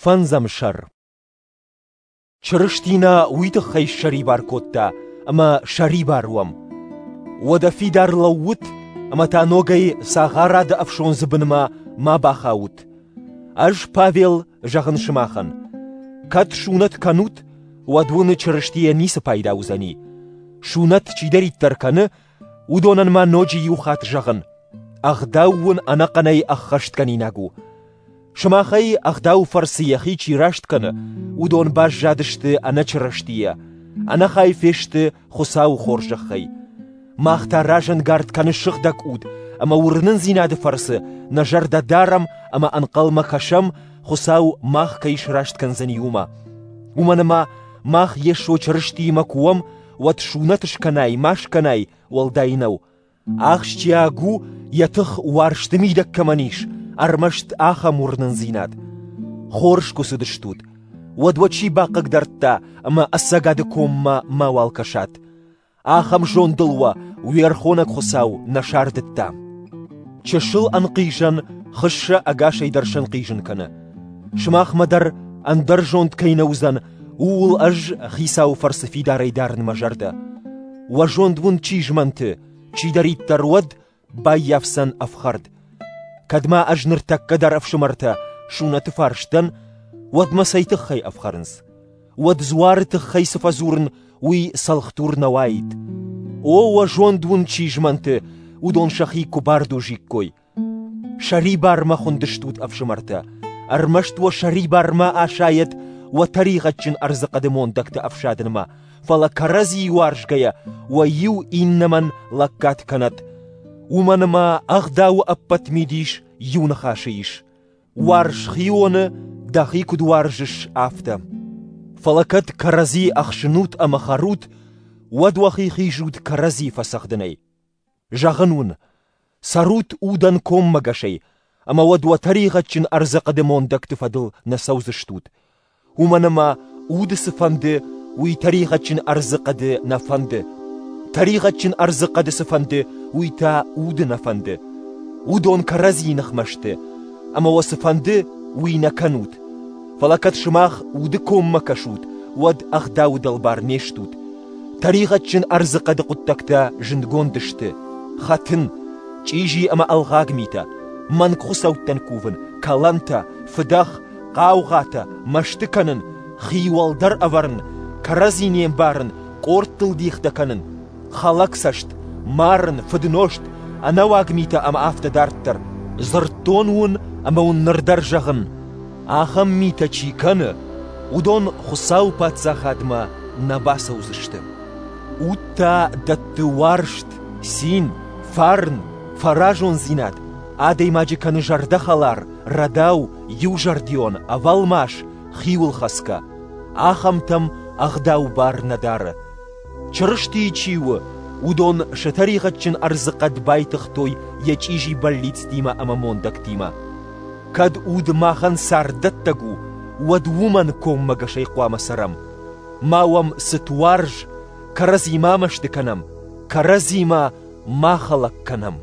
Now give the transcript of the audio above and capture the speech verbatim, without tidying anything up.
Фӕндзӕм сӕр. Чырысти нӕ уый тыххӕй ссӕрибар кодта, ӕмӕ сӕрибар уӕм. Уӕдӕ фидар лӕуут ӕмӕ та ногӕй цагъарады ӕфсондзы бынмӕ ма бахаут. Ӕз, Павел, зӕгъын сымахӕн: кӕд сунӕт кӕнут, уӕд уын Чырыстийӕ ницы пайда уыдзӕни. Сунӕт чидӕриддӕр кӕны, уыдонӕн ма ноджы иу хатт зӕгъын: ӕгъдау уын ӕнӕхъӕнӕй ӕххӕстгӕнинаг у. Сымахӕй ӕгъдауы фӕрцы йӕхи чи раст кӕны, уыдон баззадысты ӕнӕ Чырыстийӕ, ӕнӕхай фесты Хуыцауы хорзӕхӕй. Мах та разӕнгард кӕны Сыгъдӕг Уд, ӕмӕ уырнындзинады фӕрцы нӕ зӕрдӕ дарӕм ӕмӕ ӕнхъӕлмӕ кӕсӕм, Хуыцау мах кӕй сраст кӕндзӕни, уымӕ. Уымӕн ӕмӕ мах Йесо Чырыстиимӕ куы уӕм, уӕд сунӕт скӕнай, ма скӕнай, уӕлдай нӕу. Ахсджиаг у, йӕ тых уарзты мидӕг кӕмӕн ис, ӕрмӕст ахӕм уырнындзинад. Хорз куы цыдыстут, уӕд уӕ чи бахъыгдардта ӕмӕ ӕцӕгады коммӕ мауал кӕсат. Ахӕм зондыл уӕ уе рхонӕг Хуыцау нӕ сардыдта. Чысыл ӕнхъизӕн хыссӕ ӕгасӕй дӕр сӕнхъизын кӕны. Сымахмӕ дӕр ӕндӕр зонд кӕй нӕ уыдзӕн, ууыл ӕз Хицауы фӕрцы фидарӕй дарын мӕ зӕрдӕ. Уӕ зонд уын чи змӕнты, чидӕриддӕр уӕд баййафдзӕн ӕфхӕрд. Кӕд ма ӕз ныртӕккӕ дӕр ӕфсымӕртӕ сунӕты фарс дӕн, уӕд мӕ цӕй тыххӕй ӕфхӕрынц? Уӕд дзуары тыххӕй цы фӕдзурын, уый цӕлхдур нӕ уаид. О, уӕ зонд уын чи змӕнты, уыдон сӕхи куы бардузиккой. Сӕрибармӕ хуындыстут, ӕфсымӕртӕ, ӕрмӕст уӕ сӕрибармӕ асайӕд уӕ тӕригъӕдджын ӕрдзыхъӕды мондӕгты ӕфсадынмӕ, фӕлӕ кӕрӕдзийы уарзгӕйӕ уӕ иу иннӕмӕн лӕггад кӕнӕд. Уымӕн ӕмӕ ӕгъдауы ӕппӕт мидис иу ныхасы ис: уарз хионы, дӕхи куыд уарзыс, афтӕ. Фӕлӕ кӕд кӕрӕдзи ӕхсынут ӕмӕ хӕрут, уӕд уӕхи хизут кӕрӕдзи фӕцӕгъдынӕй. Зӕгъын уын, цӕрут удӕн коммӕгӕсӕй, ӕмӕ уӕд уӕ тӕригъӕдджын ӕрдзыхъӕды мондӕгты фӕдыл нӕ цӕудзыстут. Уымӕн ӕмӕ уды цы фӕнды, уый тӕригъӕдджын ӕрдзыхъӕды нӕ фӕнды. Тӕригъӕдджын ӕрдзыхъӕды цы фӕнды, уый та уды нӕ фӕнды. Уыдон кӕрӕдзийы ныхмӕ сты, ӕмӕ уӕ цы фӕнды, уый нӕ кӕнут. Фӕлӕ кӕд сымах уды коммӕ кӕсут, уӕд ӕгъдауы дӕлбар не стут. Тӕригъӕдджын ӕрдзыхъӕды хъуыддӕгтӕ зындгонд сты: хӕтын, чъизи ӕмӕ ӕлгъаг митӕ, мӕнг хуыцӕуттӕн кувын, кӕлӕнтӕ, фыдӕх, хъаугъатӕ, мӕсты кӕнын, хи уӕлдӕр ӕвӕрын, кӕрӕдзи не мбарын, къордтыл дихтӕ кӕнын, хӕлӕгцӕст, марын, фыднозт, ӕнӕуаг митӕ ӕмӕ афтӕ дарддӕр. Дзырдтон уын ӕмӕ уын ныр дӕр зӕгъын: ахӕм митӕ чи кӕны, уыдон Хуыцауы паддзахадмӕ нӕ бацӕудзысты. Уд та дӕтты уарзт, цин, фарн, фӕразондзинад, адӕймаджы кӕны зӕрдӕхӕлар, рӕдау, иузӕрдион, ӕвӕлмас, хиуылхӕцгӕ. Ахӕмтӕм ӕгъдау бар нӕ дары. Чырыстийы чи у, уыдон сӕ тӕригъӕдджын ӕрдзыхъӕд байтыгътой йӕ чъизи бӕллицтимӕ ӕмӕ мондӕгтимӕ. Кӕд уд махӕн царддӕттӕг у, уӕд уымӕн коммӕгӕсӕй хъуамӕ цӕрӕм. Ма уӕм цытуарз, кӕрӕдзи ма мӕсты кӕнӕм, кӕрӕдзимӕ ма хӕлӕг кӕнӕм.